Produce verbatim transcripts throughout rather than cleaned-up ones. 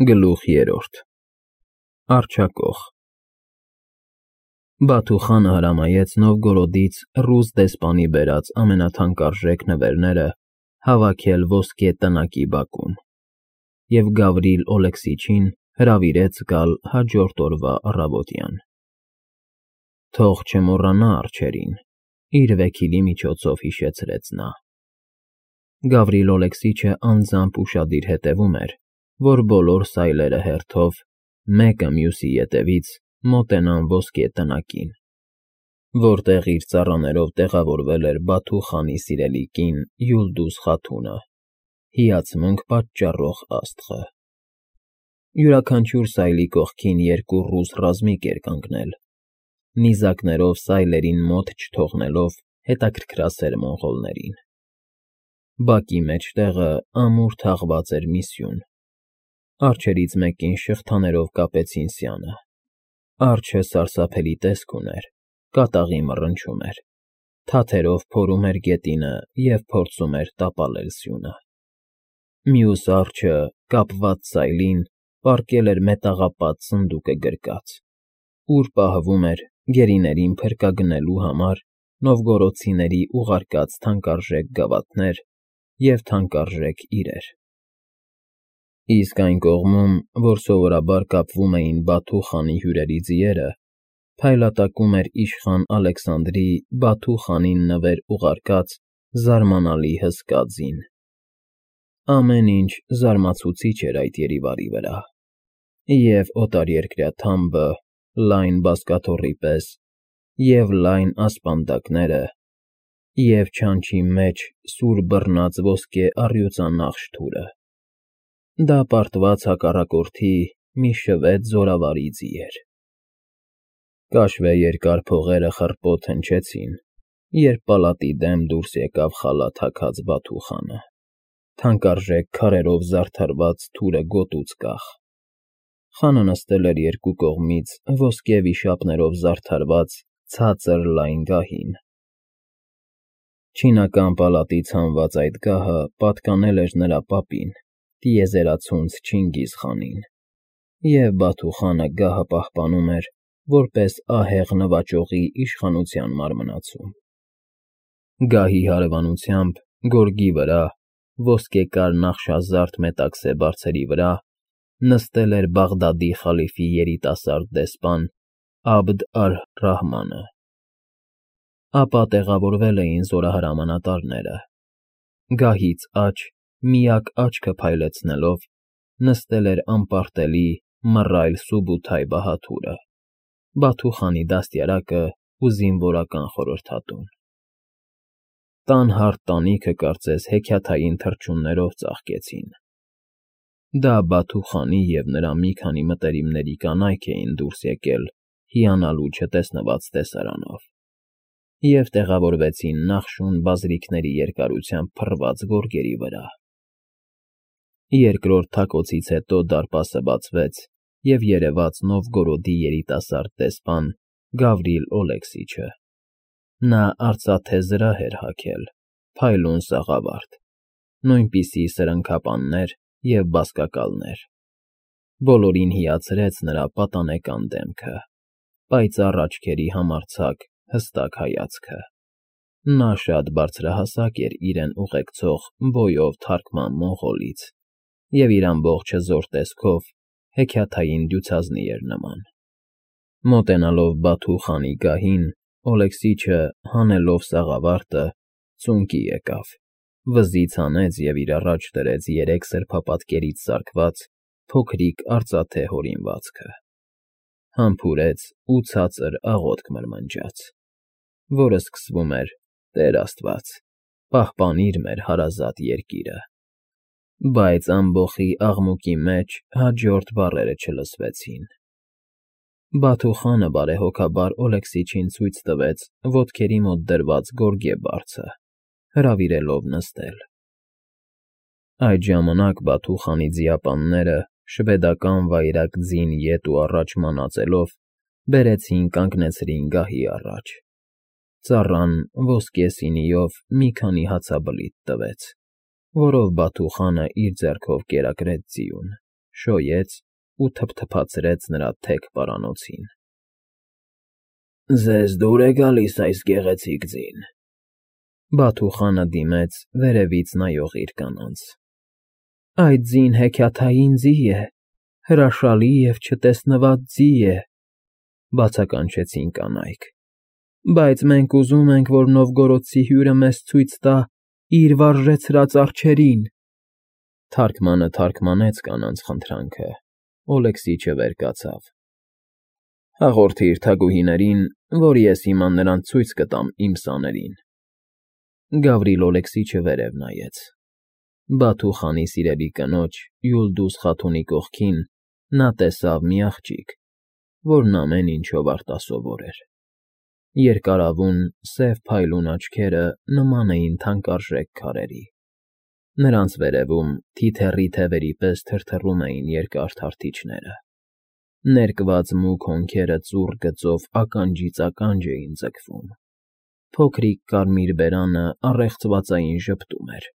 Գլուխ երրորդ Առջակող Բաթու խանը հրամայեց Նովգորոդից ռուս դեսպանի բերած ամենաթանկարժեք նվերները հավաքել ոսկե տնակի բակում և Գավրիլ Օլեքսիչին հրավիրեց գալ հաջորդ օրվա առավոտյան։ Թող չմոռանա արջերին, իր վեքիլի միջոցով հիշեցրեց նա։ Գավրիլ Օլեքսիչը անձամբ ուշադիր հետևում էր, որ բոլոր սայլերը հերթով, մեկը մյուսի ետևից մոտենան ոսկե տնակին, որտեղ իր ծառաներով տեղավորվել էր Բաթու խանի սիրելի կին Յուլդուզ Խաթունը, հիացմունք պատճառող աստղը։ Յուրաքանչյուր սայլի կողքին երկու ռուս ռազմիկ էր կանգնել, նիզակներով սայլերին մոտ չթողնելով հետաքրքրասեր մոնղոլներին։ Բակի մեջտեղը ամուր թաղված էր մի սյուն։ Արջերից մեկին շղթաներով կապեցին սյանը։ Արջը սարսափելի տեսք ուներ, կատաղի մռնչում էր, թաթերով փորում էր գետինը և փորձում էր տապալել սյունը։ Մյուս արջը, կապված սայլին, պառկել էր մետաղապատ սնդուկը գրկած, ուր պահվում էր գերիներին փրկագնելու համար նովգորոդցիների ուղարկած թանկարժեք գավաթներ և թանկարժեք իրեր։ Իսկ այն կողմում, որ սովորաբար կապվում էին Բաթու խանի հյուրերի ձիերը, փայլատակում էր իշխան Ալեքսանդրի Բաթու խանին նվեր ուղարկած զարմանալի հսկա ձին։ Ամեն ինչ զարմացուցիչ էր այդ երիվարի վրա, և՛ օտարերկրյա թամբը, լայն բազկաթոռի պես, և՛ լայն ասպանդակները, և չանչի մեջ սուր բռնած ոսկե առյուծանախշ թուրը։ Դա պարտված հակառակորդի մի շվեթ զորավարի ձի էր։ Կաշվե երկար փողերը խռպոտ հնչեցին, երբ պալատի դեմ դուրս եկավ խալաթ հագած Բաթու խանը, թանկարժեք քարերով զարդարված թուրը գոտուց կախ։ Խանը նստել էր երկու կողմից ոսկե վիշապներով զարդարված ցածր լայն գահին։ Չինական պալատից հանված այդ գահը պատկանել էր նրա պապին՝ տիեզերացունց Չինգիզ խանին, և Բաթու խանը գահը պահպանում էր որպես ահեղ նվաճողի իշխանության մարմնացում։ Գահի հարևանությամբ, գորգի վրա, ոսկեկար նախշազարդ մետաքսե բարձերի վրա, նստել էր Բաղդադի խալիֆի երիտասարդ դեսպան Աբդ ալ֊Ռահմանը։ Ապա տեղավորվել էին զորահրամանատարները։ Գահից աջ, միակ աչքը փայլեցնելով, նստել էր անպարտելի մռայլ Սուբութայ բահադուրը, Բաթու խանի դաստիարակը ու զինվորական խորհրդատուն։ Տան հարթ տանիքը կարծես հեքիաթային թռչուններով ծաղկեցին։ Դա Բաթու խանի և նրա մի քանի մտերիմների կանայք էին դուրս եկել հիանալու չտեսնված տեսարանով և տեղավորվեցին նախշուն բազրիքների երկարությամբ փռված գորգերի վրա։ Երկրորդ թակոցից հետո դարպասը բացվեց, և երևաց Նովգորոդի երիտասարդ դեսպան Գավրիլ Օլեքսիչը։ Նա արծաթե զրահ էր հագել, փայլուն սաղավարտ, նույնպիսի սրընքապաններ և բազկակալներ։ Բոլորին հիացրեց նրա պատանեկան դեմքը, պայծառ աչքերի համարձակ, հստակ հայացքը։ Նա շատ բարձրահասակ էր իրեն ուղեկցող բոյով թարքման մոնղոլից և իր ամբողջ հզոր տեսքով հեքիաթային դյուցազնի էր նման։ Մոտենալով Բաթու խանի գահին, Օլեքսիչը, հանելով սաղավարտը, ծունկի եկավ, վզից հանեց և իր առաջ դրեց երեք սրբապատկերից սարքված փոքրիկ արծաթե հորինվածքը, համբուրեց ու ցածր աղոթք մրմնջաց, որը սկսվում էր. «Տեր Աստված, պահպանիր մեր հարազատ երկիրը»։ Բայց ամբոխի աղմուկի մեջ հաջորդ բառերը չլսվեցին։ Բաթու խանը բարեհոգաբար Օլեքսիչին ցույց տվեց ոտքերի մոտ դրված գորգե բարձը, հրավիրելով նստել։ Այդ ժամանակ Բաթու խանի ձիապանները, շվեդական վայրագ ձին ետ ու առաջ մանածելով, բերեցին կանգնեցրին գահի առաջ։ Ծառան ոսկե սինիով մի քանի հացաբլիթ տվեց, որով Բաթու խանը իր ձեռքով կերակրեց ձիուն, շոյեց ու թփթփացրեց նրա թեք պարանոցին։ ֊ Ձեզ դուր է գալիս այս գեղեցիկ ձին,֊ Բաթուխանը դիմեց վերևից նայող իր կանանց։ ֊ Այդ ձին հեքիաթային ձի է, հրաշալի և չտեսնված ձի է,֊ բացականչեցին կանայք,֊ բայց մենք ուզում ենք, որ Նովգորոդցի հյուրը մեզ ցույց տա իր վարժեցրած արջերին… Թարգմանը թարգմանեց կանանց խնդրանքը, Օլեքսիչը վեր կացավ։ ֊ Հաղորդիր թագուհիներին, որ ես հիմա նրանց ցույց կտամ իմ սաներին… Գավրիլ Օլեքսիչը վերև նայեց։ Բաթուխանի սիրելի կնոջ՝ Յուլդուս Խաթունի կողքին նա տեսավ մի աղջիկ, որն ամեն ինչով արտասովոր էր։ Երկարավուն, սև փայլուն աչքերը նման էին թանկարժեք քարերի։ Նրանց վերևում թիթեռի թևերի պես թրթռում էին երկար թարթիչները։ Ներկված մուգ հոնքերը ծուռ գծով ականջից ականջ էին ձգվում։ Փոքրիկ կարմիր բերանը առեղծվածային ժպտում էր։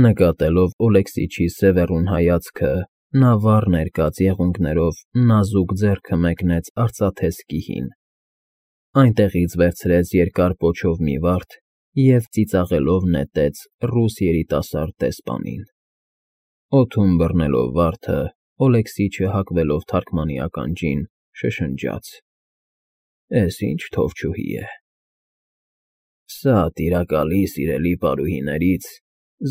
Նկատելով Օլեքսիչի սևեռուն հայացքը, նա վառ ներկած եղունգներով նազուկ ձեռքը մեկնեց արծաթե սկիհին, այնտեղից վերցրեց երկար պոչով մի վարդ և ծիծաղելով նետեց ռուս երիտասարդ դեսպանին։ Օդում բռնելով վարդը, Օլեքսիչը հագվելով թարգմանի ականջին, շշնջաց. «Էս ինչ թովչուհի է… Սա տիրակալի սիրելի պարուհիներից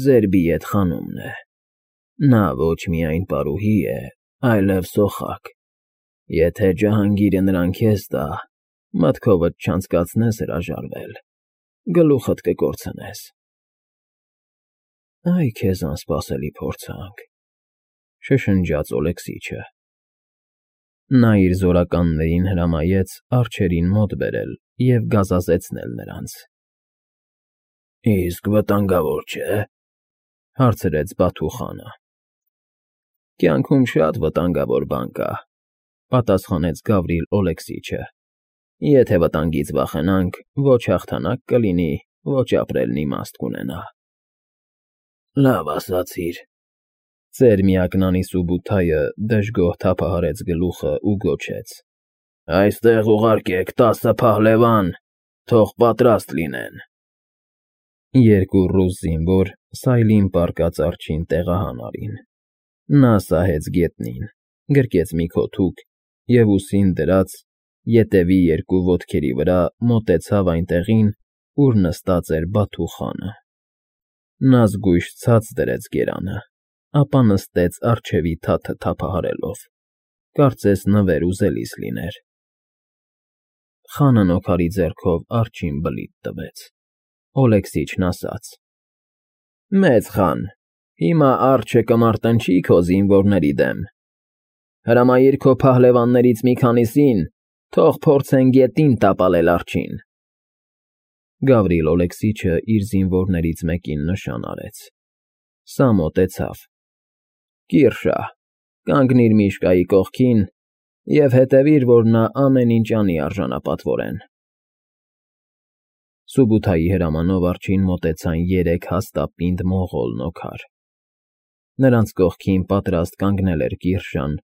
Զերբիետ խանումն է… Նա ոչ միայն պարուհի է, այլև սոխակ… Եթե Ջահանգիրը նրան քեզ տա, մտքովդ չանցկացնես հրաժարվել, գլուխդ կկորցնես»։ ֊ Այ քեզ անսպասելի փորձանք,֊ շշնջաց Օլեքսիչը։ Նա իր զորականներին հրամայեց արջերին մոտ բերել և գազազեցնել նրանց։ ֊ Իսկ վտանգավոր չէ՞, հարցրեց Բաթուխանը։ ֊ Կյանքում շատ վտանգավոր բան կա,֊ պատասխանեց Գավրիլ Օլեքսիչը։ Եթե վտանգից վախենանք, ոչ հաղթանակ կլինի, ոչ ապրելն իմաստ կունենա։ ֊ Լավ ասացիր,֊ ծեր միակնանի Սուբութայը դժգոհ թափահարեց գլուխը ու գոչեց,֊ Այստեղ ուղարկեք տասը փահլևան, թող պատրաստ լինեն։ Երկու ռուս զինվոր սայլին պառկած արջին տեղահան արին։ Նա սահեց գետնին, գրկեց մի քոթուկ և ուսին դրած, ետևի երկու ոտքերի վրա մոտեցավ այն տեղին, ուր նստած էր Բաթուխանը։ Նա զգույշ ցած դրեց գերանը, ապա նստեց առջևի թաթը թափահարելով, կարծես նվեր ուզելիս լիներ։ Խանն օգարի ձեռքով արջին բլիթ տվեց։ Օլեքսիչն ասաց. «Մեծ խան, հիմա արջը կմարտնչի քո զինվորների դեմ։ Հրամայիր քո փահլևաններից մի քանիսին, թող փորձեն գետին տապալել արջին»։ Գավրիլ Օլեքսիչը իր զինվորներից մեկին նշան արեց։ Սա մոտեցավ. «Կիրշա, կանգնիր Միշկայի կողքին և հետևիր, որ նա ամեն ինչ անի արժանապատվորեն»։ Սուբութայի հրամանով արջին մոտեցան երեք հաստապինդ մոնղոլ նոքար։ Նրանց կողքին պատրաստ կանգնել էր Կիրշան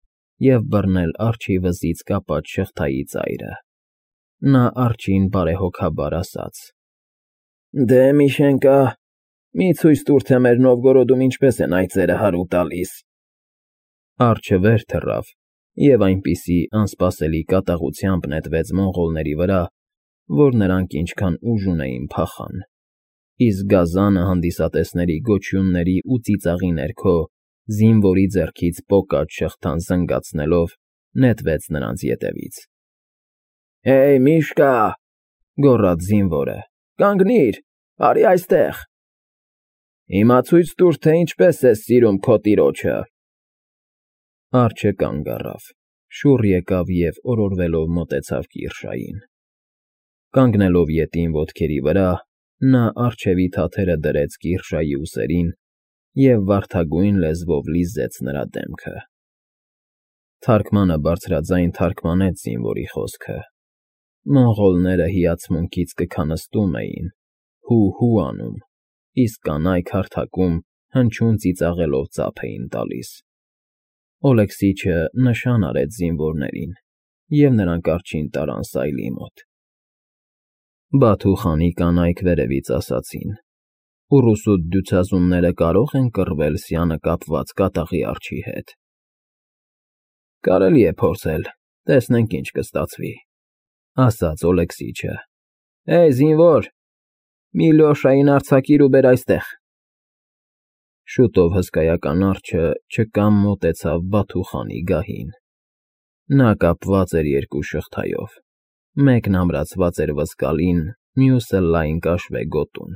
և բռնել արջի վզից կապած շղթայի ծայրը։ Նա արջին բարեհոգաբար ասաց. «Դե, Միշենկա, մի ցույց տուր, թե մեր Նովգորոդում ինչպես են այծերը հարու տալիս»։ Արջը վեր թռավ և այնպիսի անսպասելի կատաղությամբ նետվեց մոնղոլների վրա, որ նրանք ինչքան ուժ ունեին փախան, իսկ գազանը հանդիսատեսների գոչյունների ու ծիծաղի ներքո, զինվորի ձեռքից պոկած շղթան զնգացնելով, նետվեց նրանց ետևից։ ֊ Հեյ, Միշկա,֊ գոռաց զինվորը,֊ կանգնիր, արի այստեղ։ Հիմա ցույց տուր, թե ինչպես ես սիրում քո տիրոջը։ Արջը կանգ առավ, շուռ եկավ և օրորվելով մոտեցավ Կիրշային։ Կանգնելով ետին ոտքերի վրա, նա առջևի թաթերը դրեց Կիրշայի ուսերին և վարդագույն լեզվով լիզեց նրա դեմքը։ Թարգմանը բարձրաձայն թարգմանեց զինվորի խոսքը։ Մոնղոլները հիացմունքից կքանստում էին, հու֊հու անում, իսկ կանայք հարթակում հնչյուն ծիծաղելով ծափ էին տալիս։ Օլեքսիչը նշան արեց զինվորներին, և նրանք առաջին տարան Սայլի մոտ։ Բաթու խանի կանայք վերևից ասացին. «Ուռուսուդ դյուցազունները կարո՞ղ են կռվել սյանը կապված կատաղի արջի հետ»։ «Կարելի է փորձել, տեսնենք ինչ կստացվի», ֊ ասաց Օլեքսիչը։ «Հեյ, զինվոր, մի Լյոշային արձակիր ու բեր այստեղ»։ Շուտով հսկայական արջը չկամ մոտեցավ Բաթու խանի գահին։ Նա կապված էր երկու շղթայով, մեկն ամրացված էր ոսկալին, մյուսը լայն կաշվե գոտուն։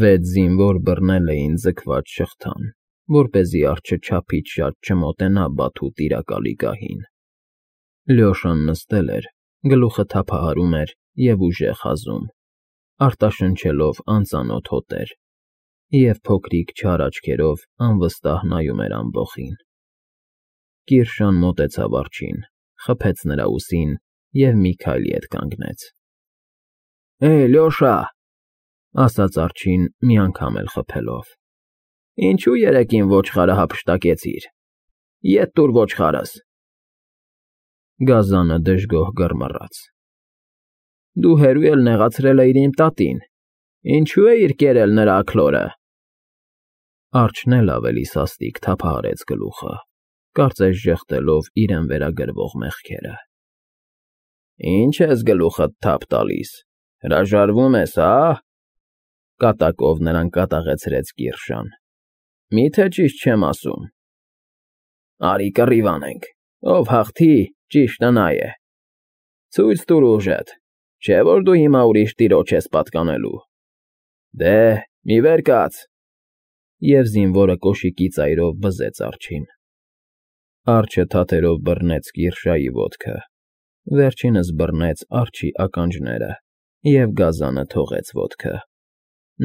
Վեց զինվոր բռնել էին ձգված շղթան, որպեսզի արջը չափից շատ չմոտենա Բաթու տիրակալի գահին։ Լյոշան նստել էր, գլուխը թափահարում էր և ուժեղ հազում, արտաշնչելով անծանոթ հոտեր, և փոքրիկ չար աչքերով անվստահ նայում էր ամբոխին։ Կիրշան մոտեցավ արջին, խփեց նրա ուսին և մի քայլ ետ կանգնեց։ «Հեյ, Լյոշա», ֊ ասաց արջին մի անգամ էլ խփելով, ֊ ինչու երեկ իմ ոչխարը հափշտակեցիր, ետ տուր ոչխարս։ Գազանը դժգոհ գռմռաց։ «Դու հեռու էլ նեղացրել էիր իմ տատին, ինչո՞ւ էիր կերել նրա աքլորը»։ Արջն էլ ավելի սաստիկ թափահարեց գլուխը, կարծես ժխտելով իրեն վերագրվող մեղքերը։ «Ի՞նչ ես գլուխդ թափ տալիս, հրաժարվում ես, հա՞։ Կատակով նրան կատաղեցրեց Կիրշան։ «Մի՞թե ճիշտ չեմ ասում»։ «Արի կռիվ անենք, ով հաղթի, ճիշտը նա է։ Ցույց տուր ուժդ, չէ՞ որ դու հիմա ուրիշ տիրոջ ես պատկանելու։ Դե, մի վեր կաց»։ Եվ զինվորը կոշիկի ծայրով վզեց արջին։ Արջը թաթերով բռնեց Կիրշայի ոտքը, վերջինս բռնեց արջի ականջները և գազանը թողեց ոտքը։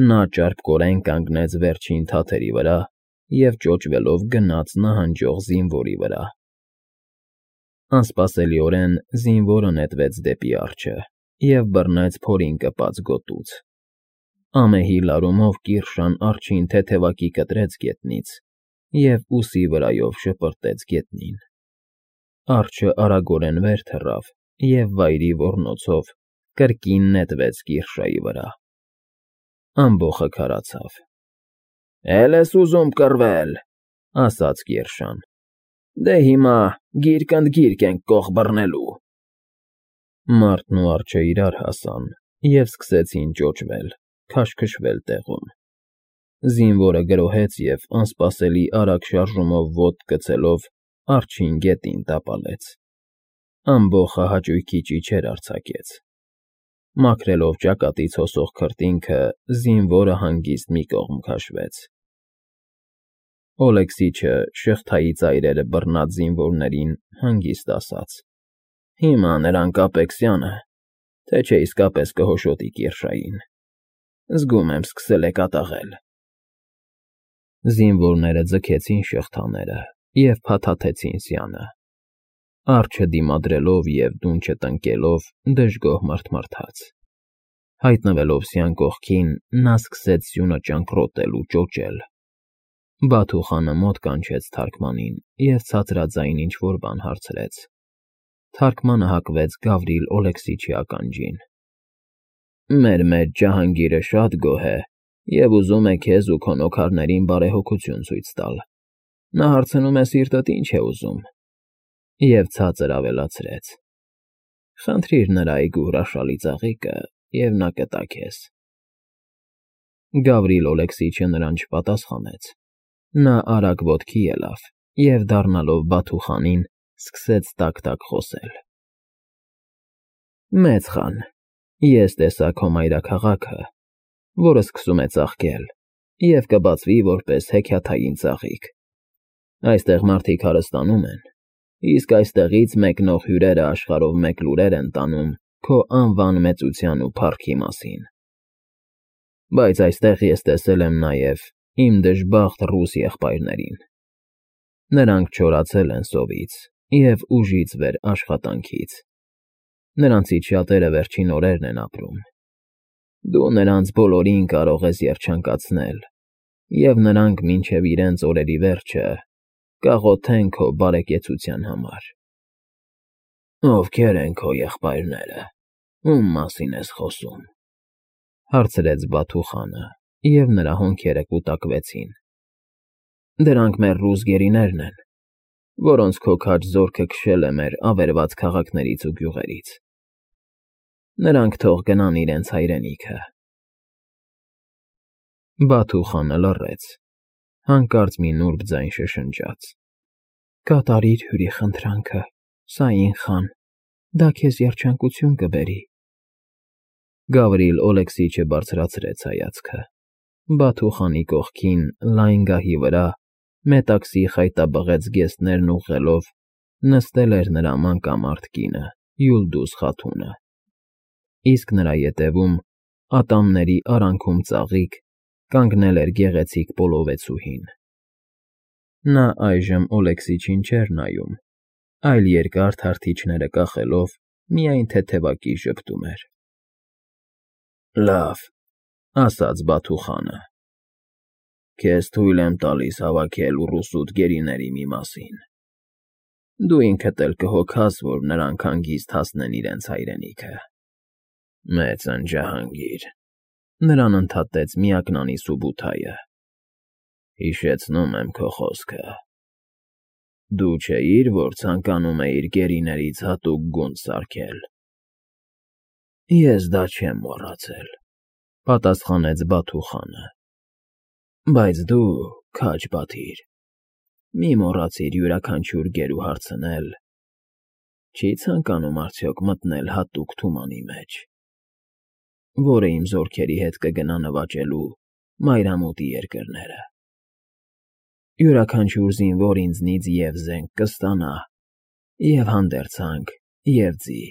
Նա ճարպկորեն կանգնեց վերջին թաթերի վրա և ճոճվելով գնաց նահանջող զինվորի վրա։ Անսպասելիորեն զինվորը նետվեց դեպի արջը և բռնեց փորին կպած գոտուց։ Ամեհի լարումով Կիրշան արջին թեթևակի կտրեց գետնից և ուսի վրայով շպրտեց գետնին։ Արջը արագորեն վեր թռավ և վայրի ոռնոցով կրկին նետվեց Կիրշայի վրա։ Ամբոխը քարացավ։ «Էլ ես ուզում կռվել», ֊ ասաց Կիրշան։ «Դե հիմա գիրք ընդ գիրք ենք կոխ բռնելու»։ Մարդն ու արջը իրար հասան և սկսեցին ճոճվել, քաշքշվել տեղում։ Զինվորը գրոհեց և, անսպասելի արագ շարժումով ոտք գցելով, արջին գետին տապալեց։ Ամբոխը հաճույքի ճիչեր արձակեց։ Մաքրելով ճակատից հոսող քրտինքը, զինվորը հանգիստ մի կողմ քաշվեց։ Օլեքսիչը շղթայի ծայրերը բռնած զինվորներին հանգիստ ասաց. «Հիմա նրան կապեք սյանը, թե չէ իսկապես կհոշոտի Կիրշային։ Զգում եմ, սկսել է կատաղել»։ Զինվորները ձգեցին շղթաները և փաթաթեցին սյանը։ Արջը դիմադրելով և դուն չտնկելով դժգոհ մռթմռթաց։ Հայտնվելով սյան կողքին, նա սկսեց սյունը ճանկռոտել ու ճոճել։ Բաթու խանը մոտ կանչեց թարգմանին և ցածրաձայն ինչ֊որ բան հարցրեց։ Թարգմանը հակվեց Գավրիլ Օլեքսիչի ականջին։ «Մեր մեծ Ջահանգիրը շատ գոհ է և ուզում է քեզ ու քո նոքարներին բարեհոգություն ցույց տալ։ Նա հարցնում է սիրտդ ինչ է ուզում»։ Եվ ցածր ավելացրեց. «Խնդրիր նրա այգու հրաշալի ծաղիկը, և նա կտա քեզ»։ Գավրիլ Օլեքսիչը նրան չպատասխանեց։ Նա արագ ոտքի ելավ և, դառնալով Բաթու խանին, սկսեց տաք֊տաք խոսել. «Մեծ խան, ես տեսա քո մայրաքաղաքը, որը սկսում է ծաղկել և կբացվի որպես հեքիաթային ծաղիկ։ Այստեղ մարդիկ հարստանում են, իսկ այստեղից մեկնող հյուրերը աշխարհով մեկ լուրեր են տանում քո անվան մեծության ու փառքի մասին։ Բայց այստեղ ես տեսել եմ նաև իմ դժբախտ ռուս եղբայրներին։ Նրանք չորացել են սովից և ուժից վեր աշխատանքից։ Նրանցից շատերը վերջին օրերն են ապրում։ Դու նրանց բոլորին կարող ես երջանկացնել, և նրանք մինչև իրենց օրերի վերջը կաղոթեն քո բարեկեցության համար։ Ովքեր են քո եղբայրները, ում մասին ես խոսում, հարցրեց Բաթուխանը, և նրա հոնքերը կուտակվեցին։ Դրանք մեր ռուս գերիներն են, որոնց քո քաջ զորքը քշել է մեր ավերված քաղաքներից ու գյուղերից։ Նրանք թող գնան իրենց հայրենիքը։ Բաթուխանը լռեց, հանկարծ մի նուրբ ձայն շշնջաց. Կատարիր հյուրի խնդրանքը, Սաին խան, դա քեզ երջանկություն կբերի։ Գավրիլ Օլեքսիչը բարձրացրեց հայացքը։ Բաթուխանի կողքին, լայն գահի վրա, մետաքսի խայտաբղեց գեստներն ուղղելով, նստել էր նրա մանկամարդ կինը՝ Յուլդուս Խաթունը, իսկ նրա ետևում, ատամների արանքում ծաղիկ, կանգնել էր գեղեցիկ պոլովեցուհին։ Նա այժմ Օլեքսիչին չէր նայում, այլ երկար թարթիչները կախելով միայն թեթևակի ժպտում էր։ Լավ, ասաց Բաթուխանը, քեզ թույլ եմ տալիս հավաքել ուռուսուտ գերիների մի մասին։ Դու ինքդ էլ կհոգաս, որ նրանք հանգիստ հասնեն իրենց հայրենիքը։ Մեծն Ջահանգիր, նրան ընդհատեց միակնանի Սուբութայը, հիշեցնում եմ քո խոսքը։ Դու չէիր, որ ցանկանում էիր գերիներից հատուկ գունդ սարքել։ Ես դա չեմ մոռացել, պատասխանեց Բաթուխանը։ Բայց դու, քաջ Բաթիր, մի մոռացիր յուրաքանչյուր գերու հարցնել. չի ցանկանում արդյոք մտնել հատուկ թումանի մեջ, որը իմ զորքերի հետ կգնա նվաճելու մայրամուտի երկրները։ Յուրաքանչյուր զինվոր ինձնից և զենք կստանա, և հանդերձանք, և ձի,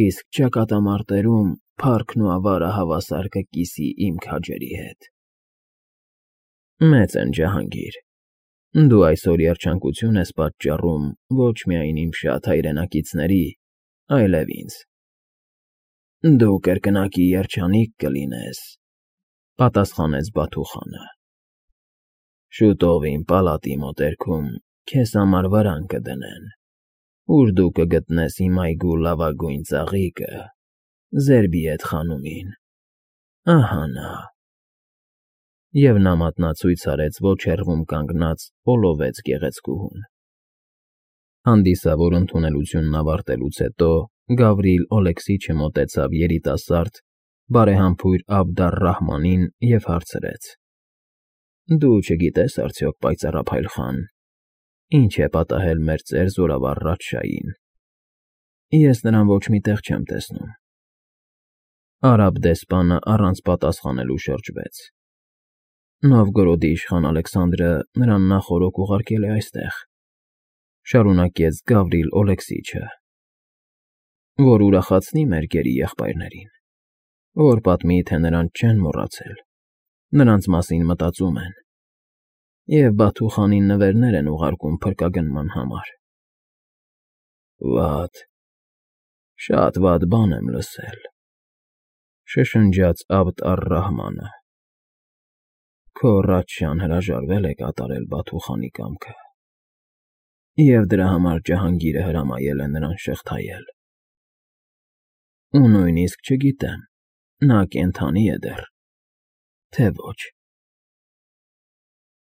իսկ ճակատամարտերում փառքն ու ավարը հավասար կկիսի իմ քաջերի հետ։ Մեծն Ջահանգիր, դու այսօր երջանկություն ես պատճառում ոչ միայն իմ շատ հայրենակիցների, այլև ինձ։ Դու կրկնակի երջանիկ կլինես, պատասխանեց Բաթուխանը։ Շուտով իմ պալատի մոտերքում քեզ համար վարան կդնեն, ուր դու կգտնես իմ այգու լավագույն ծաղիկը, Զերբիեդ խանումին, ահա նա։ Եվ նա մատնացույց արեց ոչ հեռվում կանգնած պոլովեց գեղեցկուհուն։ Հանդիսավոր ընդունելությունն ավարտելուց հետո Գավրիլ Օլեքսիչը մոտեցավ երիտասարդ, բարեհամբույր Աբդալ֊Ռահմանին և հարցրեց. Դու չգիտես արդյոք, պայծառափայլ խան, ինչ է պատահել մեր ծեր զորավար Ռաչշային։ Ես նրան ոչ մի տեղ չեմ տեսնում։ Արաբ դեսպանը առանց պատասխանելու շրջվեց։ Նովգորոդի իշխան Ալեքսանդրը նրան նախօրոք ուղարկել է այստեղ, շարունակեց Գավրիլ Օլեքսիչը, որ ուրախացնի մեր գերի եղբայրներին, որ պատմի, թե նրանց չեն մոռացել, նրանց մասին մտածում են, և Բաթուխանին նվերներ են ուղարկում փրկագնման համար։ Վատ, շատ վատ բան եմ լսել, շշնջաց Աբդ֊առ֊Ռահմանը։ Քո Ռաչշան հրաժարվել է կատարել Բաթուխանի կամքը, և դրա համար Ջահանգիրը հրամայել է նրան շղթայել։ Ու նույնիսկ չգիտեմ, նա կենդանի է դեռ, թե ոչ։